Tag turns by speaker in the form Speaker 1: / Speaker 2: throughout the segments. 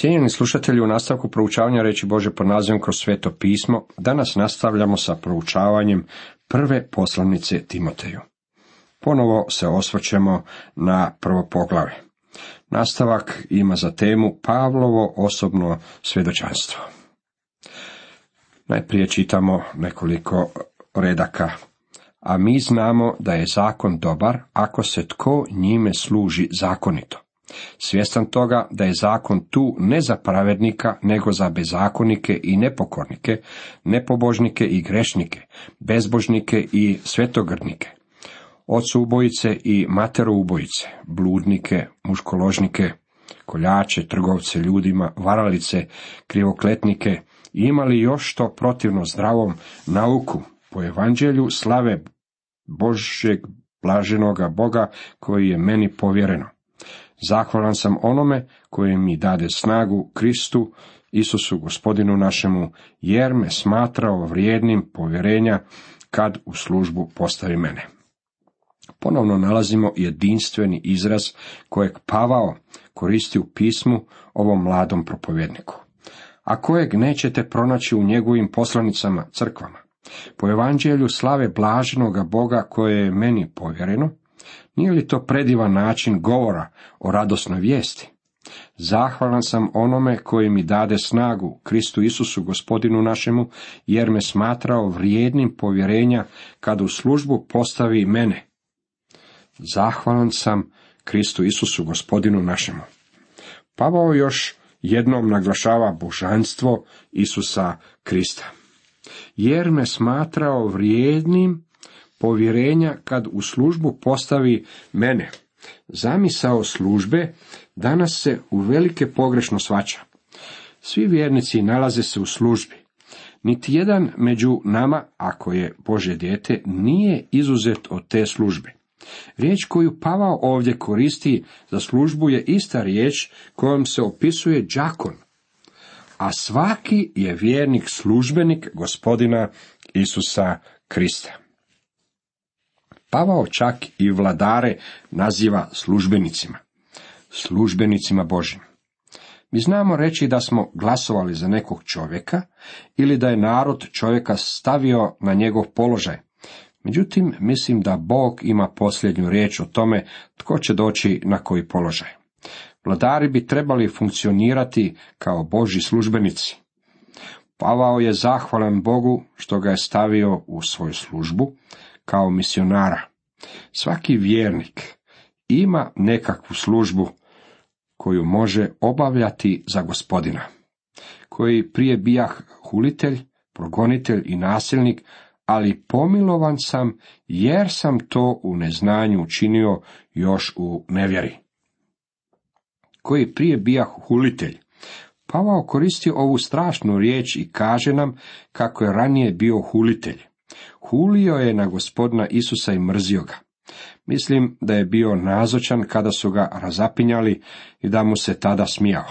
Speaker 1: Cijenjeni slušatelji, u nastavku proučavanja riječi Božje pod nazivom Kroz sveto pismo, danas nastavljamo sa proučavanjem prve poslanice Timoteju. Ponovo se osvrćemo na prvo poglavlje. Nastavak ima za temu Pavlovo osobno svjedočanstvo. Najprije čitamo nekoliko redaka. A mi znamo da je zakon dobar ako se tko njime služi zakonito. Svjestan toga da je zakon tu ne za pravednika, nego za bezakonike i nepokornike, nepobožnike i grešnike, bezbožnike i svetogrdnike, ocoubojice i materoubojice, bludnike, muškoložnike, koljače, trgovce ljudima, varalice, krivokletnike, i imali još što protivno zdravom nauku po evanđelju slave Božeg blaženoga Boga koji je meni povjereno. Zahvalan sam onome koji mi dade snagu, Kristu, Isusu gospodinu našemu, jer me smatrao vrijednim povjerenja kad u službu postavi mene. Ponovno nalazimo jedinstveni izraz kojeg Pavao koristi u pismu ovom mladom propovjedniku, a kojeg nećete pronaći u njegovim poslanicama crkvama. Po evanđelju slave blaženoga Boga koje je meni povjereno, nije li to predivan način govora o radosnoj vijesti? Zahvalan sam onome koji mi dade snagu, Kristu Isusu gospodinu našemu, jer me smatrao vrijednim povjerenja kad u službu postavi mene. Zahvalan sam Kristu Isusu gospodinu našemu. Pavao još jednom naglašava božanstvo Isusa Krista. Jer me smatrao vrijednim povjerenja kad u službu postavi mene. Zamisao službe danas se uvelike pogrešno shvaća. Svi vjernici nalaze se u službi. Niti jedan među nama, ako je Božje dijete, nije izuzet od te službe. Riječ koju Pavao ovdje koristi za službu je ista riječ kojom se opisuje đakon, a svaki je vjernik službenik gospodina Isusa Krista. Pavao čak i vladare naziva službenicima Božjim. Mi znamo reći da smo glasovali za nekog čovjeka ili da je narod čovjeka stavio na njegov položaj. Međutim, mislim da Bog ima posljednju riječ o tome tko će doći na koji položaj. Vladari bi trebali funkcionirati kao Božji službenici. Pavao je zahvalan Bogu što ga je stavio u svoju službu kao misionara. Svaki vjernik ima nekakvu službu koju može obavljati za gospodina, koji prije bijah hulitelj, progonitelj i nasilnik, ali pomilovan sam jer sam to u neznanju učinio još u nevjeri. Koji prije bijah hulitelj. Pavao koristi ovu strašnu riječ i kaže nam kako je ranije bio hulitelj. Hulio je na gospodina Isusa i mrzio ga. Mislim da je bio nazočan kada su ga razapinjali i da mu se tada smijao.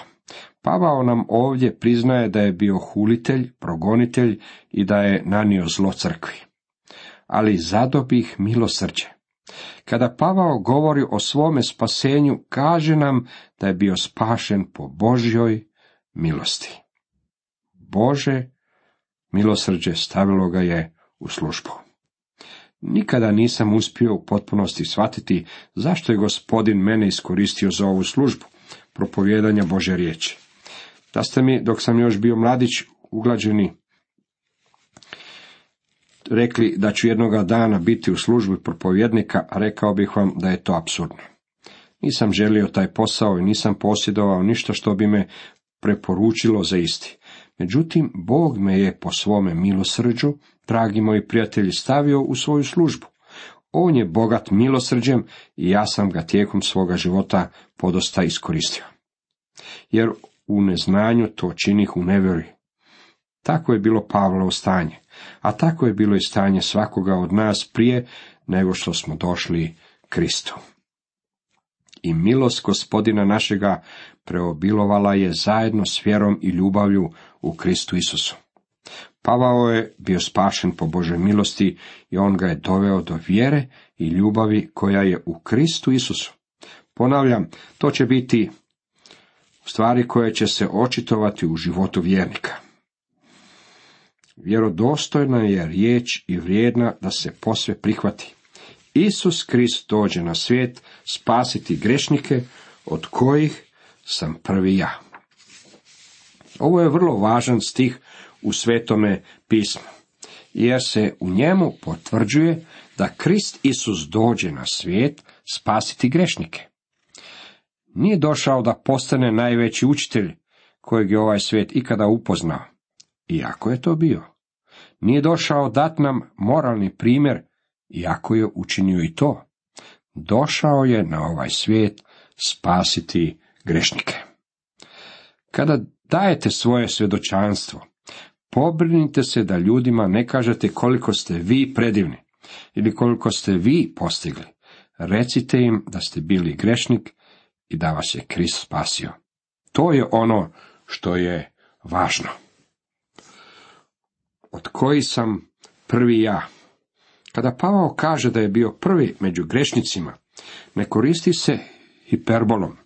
Speaker 1: Pavao nam ovdje priznaje da je bio hulitelj, progonitelj i da je nanio zlo crkvi. Ali zadobih milosrđe. Kada Pavao govori o svome spasenju, kaže nam da je bio spašen po Božjoj milosti. Bože milosrđe stavilo ga je u službu. Nikada nisam uspio u potpunosti shvatiti zašto je Gospodin mene iskoristio za ovu službu, propovijedanja Božje riječi. Da ste mi, dok sam još bio mladić, uglađeni, rekli da ću jednoga dana biti u službi propovjednika, rekao bih vam da je to apsurdno. Nisam želio taj posao i nisam posjedovao ništa što bi me preporučilo za isti. Međutim, Bog me je po svome milosrđu, dragi moji prijatelji, stavio u svoju službu. On je bogat milosrđem i ja sam ga tijekom svoga života podosta iskoristio. Jer u neznanju to činih u nevjeri. Tako je bilo Pavlovo stanje, a tako je bilo i stanje svakoga od nas prije nego što smo došli Kristu. I milost gospodina našega preobilovala je zajedno s vjerom i ljubavlju u Kristu Isusu. Pavao je bio spašen po Božoj milosti i on ga je doveo do vjere i ljubavi koja je u Kristu Isusu. Ponavljam, to će biti stvari koje će se očitovati u životu vjernika. Vjerodostojna je riječ i vrijedna da se posve prihvati. Isus Krist dođe na svijet spasiti grešnike, od kojih sam prvi ja. Ovo je vrlo važan stih u Svetome pismu, jer se u njemu potvrđuje da Krist Isus dođe na svijet spasiti grešnike. Nije došao da postane najveći učitelj kojeg je ovaj svijet ikada upoznao, iako je to bio. Nije došao dat nam moralni primjer, iako je učinio i to. Došao je na ovaj svijet spasiti grešnike. Kada dajete svoje svjedočanstvo, pobrinite se da ljudima ne kažete koliko ste vi predivni ili koliko ste vi postigli. Recite im da ste bili grešnik i da vas je Krist spasio. To je ono što je važno. Od kojih sam prvi ja. Kada Pavao kaže da je bio prvi među grešnicima, ne koristi se hiperbolom,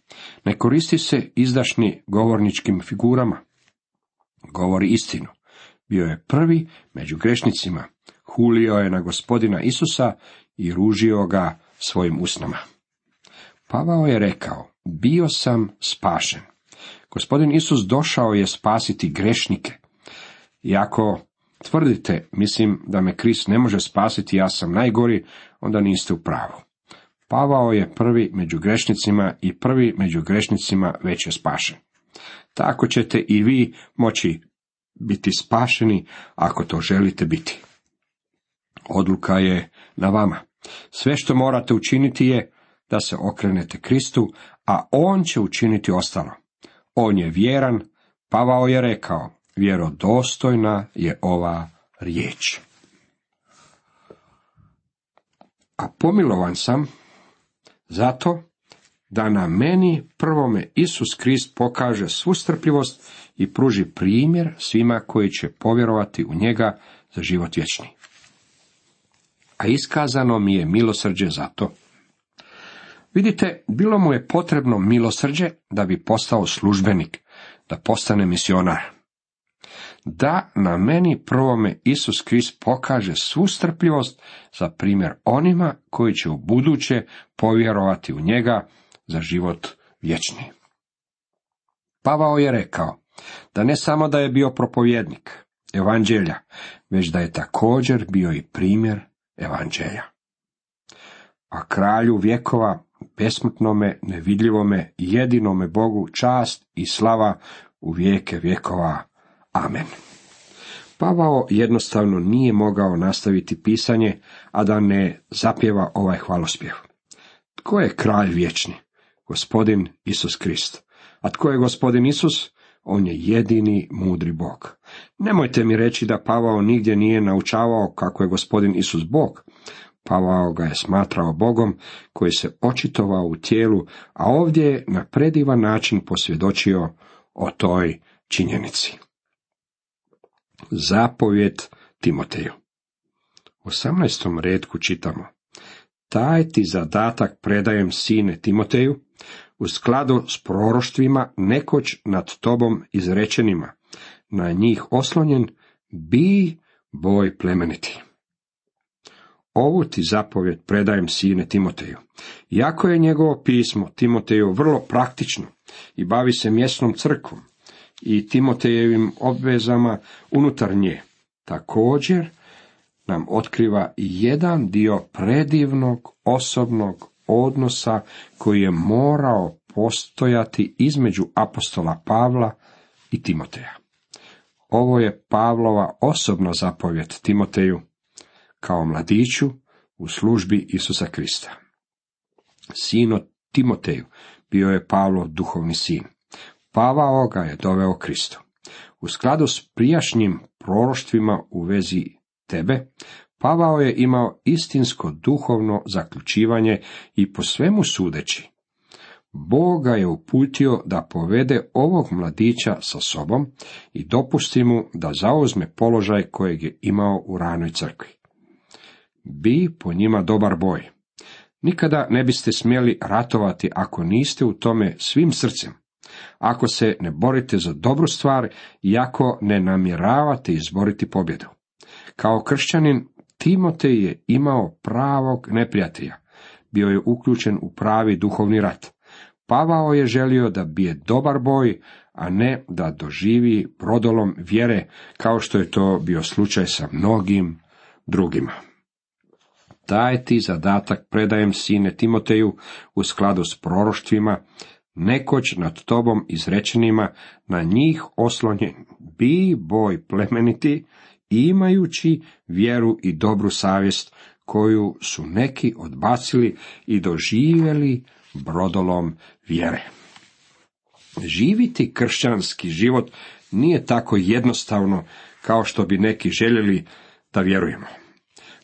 Speaker 1: ne koristi se izdašni govorničkim figurama. Govori istinu. Bio je prvi među grešnicima, hulio je na Gospodina Isusa i ružio ga svojim usnama. Pavao je rekao, bio sam spašen. Gospodin Isus došao je spasiti grešnike. I ako tvrdite, mislim da me Krist ne može spasiti, ja sam najgori, onda niste u pravu. Pavao je prvi među grešnicima i prvi među grešnicima već je spašen. Tako ćete i vi moći biti spašeni ako to želite biti. Odluka je na vama. Sve što morate učiniti je da se okrenete Kristu, a on će učiniti ostalo. On je vjeran, Pavao je rekao, vjerodostojna je ova riječ. A pomilovan sam zato da na meni prvome Isus Krist pokaže svu strpljivost i pruži primjer svima koji će povjerovati u njega za život vječni. A iskazano mi je milosrđe za to. Vidite, bilo mu je potrebno milosrđe da bi postao službenik, da postane misionar. Da na meni prvome Isus Krist pokaže svu strpljivost za primjer onima koji će u buduće povjerovati u njega za život vječni. Pavao je rekao da ne samo da je bio propovjednik evanđelja, već da je također bio i primjer evanđelja. A kralju vjekova, besmrtnome, nevidljivome, jedinome Bogu čast i slava u vijeke vjekova. Amen. Pavao jednostavno nije mogao nastaviti pisanje, a da ne zapjeva ovaj hvalospjev. Tko je kralj vječni? Gospodin Isus Krist. A tko je Gospodin Isus? On je jedini mudri Bog. Nemojte mi reći da Pavao nigdje nije naučavao kako je Gospodin Isus Bog. Pavao ga je smatrao Bogom koji se očitovao u tijelu, a ovdje je na predivan način posvjedočio o toj činjenici. Zapovjed Timoteju. U 18. retku čitamo: Taj ti zadatak predajem, sine Timoteju, u skladu s proroštvima nekoć nad tobom izrečenima, na njih oslonjen, bi boj plemeniti. Ovu ti zapovjed predajem, sine Timoteju. Iako je njegovo pismo Timoteju vrlo praktično i bavi se mjesnom crkvom i Timotejevim obvezama unutar nje, također nam otkriva jedan dio predivnog osobnog odnosa koji je morao postojati između apostola Pavla i Timoteja. Ovo je Pavlova osobna zapovjed Timoteju kao mladiću u službi Isusa Krista. Sino Timoteju bio je Pavlov duhovni sin. Pavao ga je doveo Kristu. U skladu s prijašnjim proroštvima u vezi tebe, Pavao je imao istinsko duhovno zaključivanje i po svemu sudeći, Bog ga je uputio da povede ovog mladića sa sobom i dopusti mu da zauzme položaj kojeg je imao u ranoj crkvi. Bi po njima dobar boj. Nikada ne biste smjeli ratovati ako niste u tome svim srcem. ako se ne borite za dobru stvar i ako ne namjeravate izboriti pobjedu. Kao kršćanin, Timotej je imao pravog neprijatelja. Bio je uključen u pravi duhovni rat. Pavao je želio da bije dobar boj, a ne da doživi brodolom vjere, kao što je to bio slučaj sa mnogim drugima. Taj ti zadatak predajem, sine Timoteju, u skladu s proroštvima, nekoć nad tobom izrečenima, na njih oslonjen, bi boj plemeniti, imajući vjeru i dobru savjest, koju su neki odbacili i doživjeli brodolom vjere. Živiti kršćanski život nije tako jednostavno kao što bi neki željeli da vjerujemo.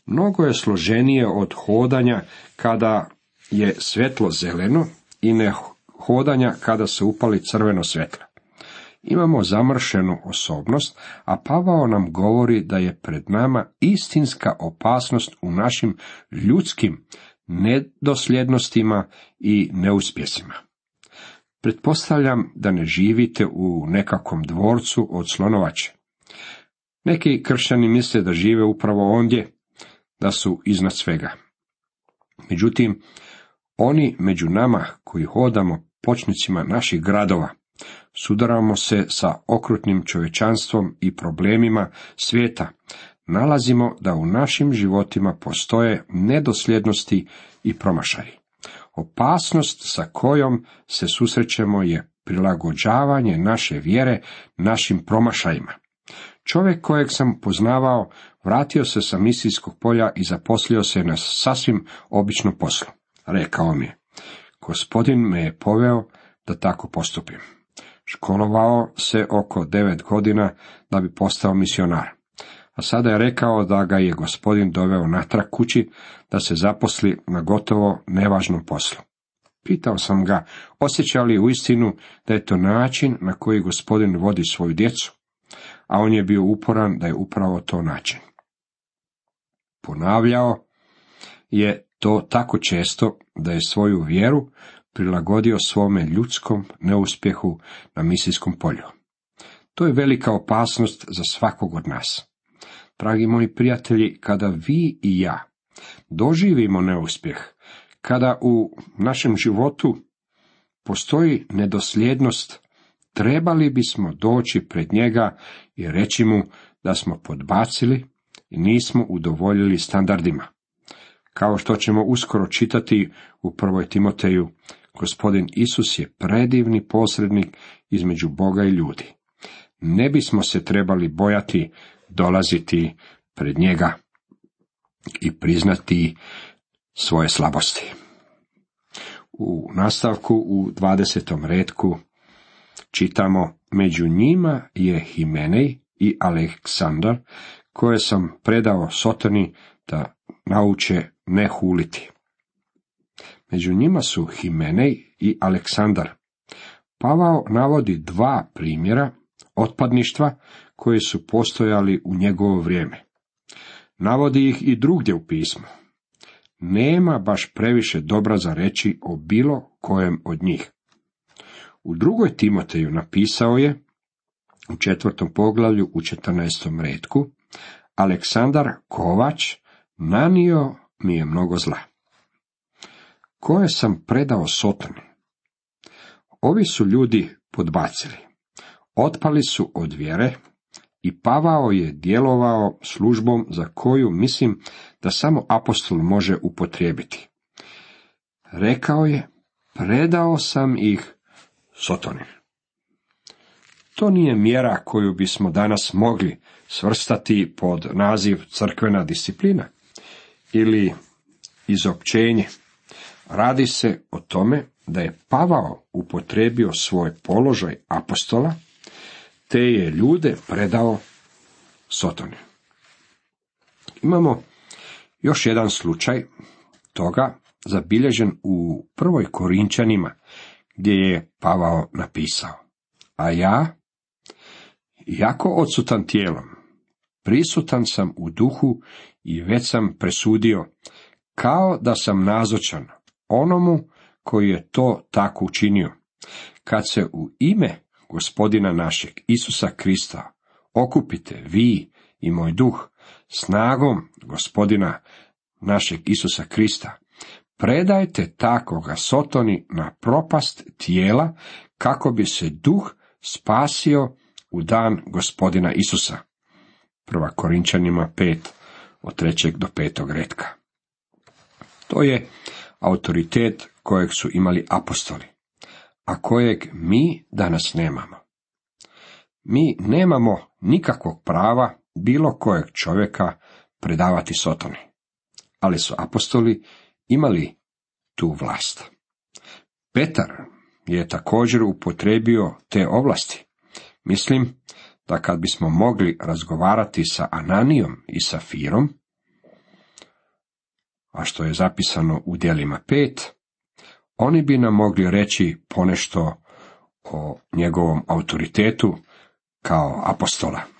Speaker 1: Mnogo je složenije od hodanja kada je svjetlo zeleno i ne hodanja kada se upali crveno svjetlo. Imamo zamršenu osobnost, a Pavao nam govori da je pred nama istinska opasnost u našim ljudskim nedosljednostima i neuspjesima. Pretpostavljam da ne živite u nekakvom dvorcu od slonovače. Neki kršćani misle da žive upravo ondje, da su iznad svega. Međutim, oni među nama koji hodamo pločnicima naših gradova, sudaramo se sa okrutnim čovječanstvom i problemima svijeta, nalazimo da u našim životima postoje nedosljednosti i promašaji. Opasnost sa kojom se susrećemo je prilagođavanje naše vjere našim promašajima. Čovjek kojeg sam poznavao vratio se sa misijskog polja i zaposlio se na sasvim običnom poslu. Rekao mi je: Gospodin me je poveo da tako postupim. Školovao se oko 9 godina da bi postao misionar, a sada je rekao da ga je Gospodin doveo natrag kući da se zaposli na gotovo nevažnom poslu. Pitao sam ga, osjeća li uistinu da je to način na koji Gospodin vodi svoju djecu, a on je bio uporan da je upravo to način. Ponavljao je to tako često da je svoju vjeru prilagodio svome ljudskom neuspjehu na misijskom polju. To je velika opasnost za svakog od nas. Dragi moji prijatelji, kada vi i ja doživimo neuspjeh, kada u našem životu postoji nedosljednost, trebali bismo doći pred njega i reći mu da smo podbacili i nismo udovoljili standardima. Kao što ćemo uskoro čitati u 1. Timoteju, Gospodin Isus je predivni posrednik između Boga i ljudi. Ne bismo se trebali bojati dolaziti pred njega i priznati svoje slabosti. U nastavku u 20. retku čitamo: među njima je Himenej i Aleksandar, koje sam predao Sotoni da nauče ne huliti. Među njima su Himenej i Aleksandar. Pavao navodi 2 primjera otpadništva koji su postojali u njegovo vrijeme. Navodi ih i drugdje u pismu. Nema baš previše dobra za reći o bilo kojem od njih. U 2. Timoteju napisao je, u 4. poglavlju u 14. retku: Aleksandar Kovač nanio mi je mnogo zla, koje sam predao Sotoni. Ovi su ljudi podbacili, otpali su od vjere i Pavao je djelovao službom za koju mislim da samo apostol može upotrijebiti. Rekao je: predao sam ih Sotoni. To nije mjera koju bismo danas mogli svrstati pod naziv crkvena disciplina ili izopćenje. Radi se o tome da je Pavao upotrijebio svoj položaj apostola, te je ljude predao Sotoni. Imamo još jedan slučaj toga zabilježen u 1. Korinčanima, gdje je Pavao napisao: a ja, jako odsutan tijelom, prisutan sam u duhu i već sam presudio, kao da sam nazočan onomu koji je to tako učinio, Kad se u ime Gospodina našeg Isusa Krista okupite vi i moj duh snagom Gospodina našeg Isusa Krista, predajte takoga Sotoni na propast tijela, kako bi se duh spasio u dan Gospodina Isusa. 1. Korinčanima 5, od 3. do 5. retka. To je autoritet kojeg su imali apostoli, a kojeg mi danas nemamo. Mi nemamo nikakvog prava bilo kojeg čovjeka predavati Sotoni, ali su apostoli imali tu vlast. Petar je također upotrijebio te ovlasti. Mislim da kad bismo mogli razgovarati sa Ananijom i Safirom, a što je zapisano u Djelima 5, oni bi nam mogli reći ponešto o njegovom autoritetu kao apostola.